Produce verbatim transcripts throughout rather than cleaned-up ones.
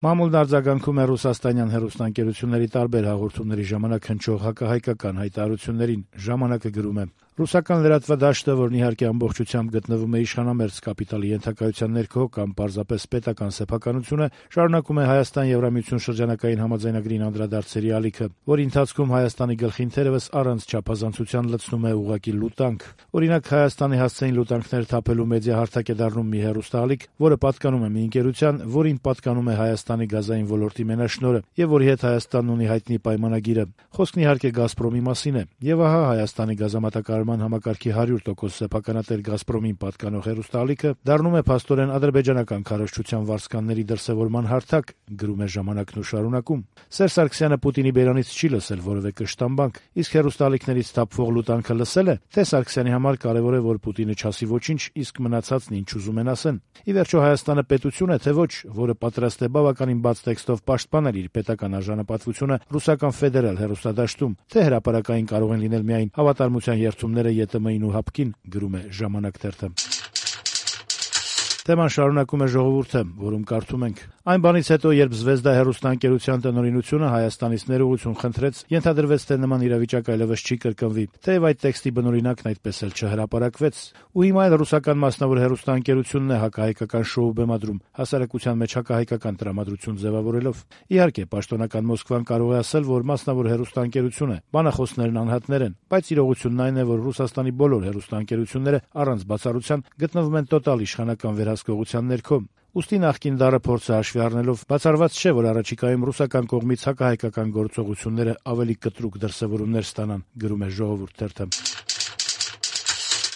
Մամուլն արձագանքում է ռուսաստանյան հեռուստաընկերությունների տարբեր հաղորդումների ժամանակ հնչող հակահայկական հայտարարություններին։ Ժամանակը գրում է. «Ռուսական լրատվադաշտը, որն իհարկե ամբողջությամբ գտնվում է իշխանամերձ կապիտալի ենթակայության ներքո կամ պարզապես պետական սեփականություն է, շարունակում է Հայաստան-Եվրամիություն շրջանակային համաձայնագրին անդրադարձերի ալիքը, որի ընթացքում Հայաստանի գլխին թերևս առանց չափազանցության լցնում է ուղղակի լուտանք։ Օրինակ, Հայաստանի հասցեին լուտանքներ թափելու մեդիահարթակ է դառնում մի հեռուստաալիք, որը պատկանում է մի ընկերության, որին պատկանում է Հայաստանի գազային ոլորտի մենաշնորհը եւ որի հետ Հայաստանն ունի հայտնի պայմանագիրը։ Խոսքն իհարկե «Գազպրոմի» մասին է։ Եվ ահա Հայաստանի գազամատակարարման համակարգի հարյուր տոկոս սեփականատեր «Գազպրոմին» պատկանող հեռուստաալիքը դառնում է փաստորեն ադրբեջանական քարոզչության վարձկանների դրսևորման հարթակ», գրում է «Ժամանակն» ու շարունակում. «Սերժ Սարգսյանը Պուտինի բերանից չի լսել որևէ կշտամբանք, իսկ հեռուստաալիքներից թափվող լուտանքը լսել է, թե Սարգսյանի համար կարևոր է, որ Պուտինը չասի ոչինչ, իսկ մնացածն ինչ ուզում են ասեն։ Ի վերջո Հայաստանը պետություն է, թե ոչ, որը պատրաստ է բավականին բաց տեքստով պաշտպանել իր պետական արժանապատվությունը ռուսական ֆեդերալ հեռուստադաշտում, թե հրապարակային կարող են լինել միայն հավատարմության երդումները ԵՏՄ-ին ու ՀԱՊԿ-ին», գրում է «Ժամանակ» թերթը։ Թեման շարունակում է «Ժողովուրդը», որում կարդում ենք. «Այն բանից հետո, երբ Զվեզդա հեռուստաընկերության տնօրինությունը Հայաստանից ներողություն խնդրեց, ենթադրվեց, թե նման իրավիճակ այլևս չի կրկնվի, թեև այդ տեքստի բնօրինակն այդպես էլ չհրապարակվեց։ Ու հիմա էլ ռուսական մասնավոր հեռուստաընկերությունն է հակահայկական շոու բեմադրում, հասարակության մեջ հակահայկական տրամադրություն ձևավորելով։ Իհարկե, պաշտոնական Մոսկվան կարող է ասել, որ մասնավոր հեռուստաընկերություն է, բանախոսներն անհատներ են, բայց իրողությունն այն է, որ Ռուսաստանի բոլոր հեռուստաընկերությունները առանց բացառության գտնվում են տոտալ իշխանական վերահսկողության ներքո։ Ուստի նախկին դառը փորձը հաշվի առնելով բացառված չէ, որ առաջիկայում ռուսական կողմից հակահայկական գործողությունները ավելի կտրուկ դրսևորումներ ստանան», գրում է «Ժողովուրդ» թերթը։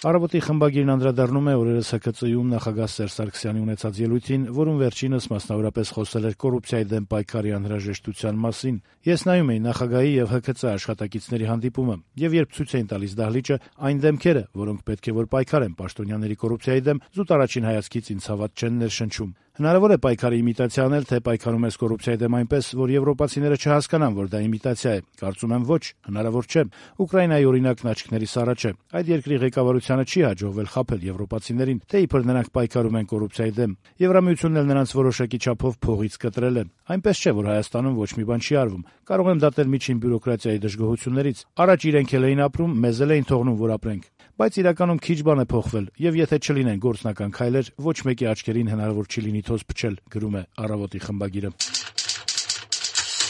«Առավոտ»-ի խմբագիրն անդրադառնում է օրերս ՀՔԾ-ում նախագահ Սերժ Սարգսյանի ունեցած ելույթին, որում վերջինս մասնավորապես խոսել էր կոռուպցիայի դեմ պայքարի անհրաժեշտության մասին։ «Ես նայում էի նախագահի եւ ՀՔԾ աշխատակիցների հանդիպումը, եւ երբ ցույց էին տալիս դահլիճը, այն դեմքերը, որոնք պետք է որ պայքարեն պաշտոնյաների կոռուպցիայի դեմ, զուտ առաջին հայացքից ինձ հավատ չեն ներշնչում։ Հնարավոր է պայքարի իմիտացիա անել, թե պայքարում ես կոռուպցիայի դեմ այնպես, որ եվրոպացիները չհասկանան, որ դա իմիտացիա է։ Կարծում եմ ոչ, հնարավոր չէ։ Ուկրաինայի օրինակն աչքներիս առաջ է։ Այդ երկրի ղեկավարությանը չի հաջողվել խաբել եվրոպացիներին, թե իբր նրանք պայքարում են կոռուպցիայի դեմ։ Եվրամիությունն էլ նրանց որոշակի չափով փողից կտրել է։ Այնպես չէ, որ Հայաստանում ոչ մի բան չի արվում։ Կարող եմ դատել միջին բյուրոկրատիայի դժգոհություններից։ Առաջ իրենք էլ էին ապրում, մեզ էլ էին թողնում, որ ապրենք։ Բայց իրականում քիչ բան է փոխվել, եւ եթե չլինեն գործնական քայլեր, ոչ մեկի աչքերին հնարավոր չի լինի թոզ փչել», գրում է «Առավոտ»-ի խմբագիրը։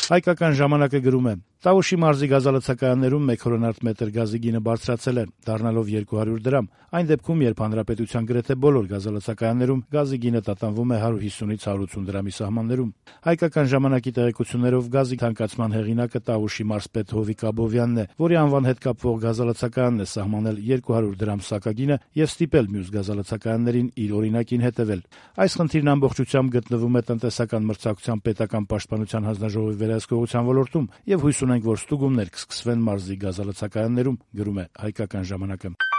Հայկական ժամանակը գրում է. «Տավուշի մարզի գազալցակայաններում մեկ հորոնարդ մետր գազի գինը բարձրացել է, դառնալով երկու հարյուր դրամ։ Այն դեպքում, երբ հանրապետության գրեթե բոլոր գազալցակայաններում գազի գինը տատանվում է հարյուր հիսունից հարյուր ութ դրամի սահմաններում»։ Հայկական ժամանակի տեղեկություններով գազի թանկացման հեղինակը Տավուշի մարզպետ Հովիկ Աբովյանն է, որի անվան հետ կապվող գազալցակայանն է սահմանել երկու հարյուր դրամ սակագինը եւ ստիպել մյուս գազալցակայաններին իր օրինակին հետեւել։ Այս խնդիրն ամբողջությամբ գտնվում է տնտեսական մրցակցության պետական պաշտպանության հանձնաժողովի վերահսկողության ոլորտում եւ հույս ունենք, որ ստուգումներ կսկսվեն մարզի գազալցակայաններում, գրում է Հայկական ժամանակը։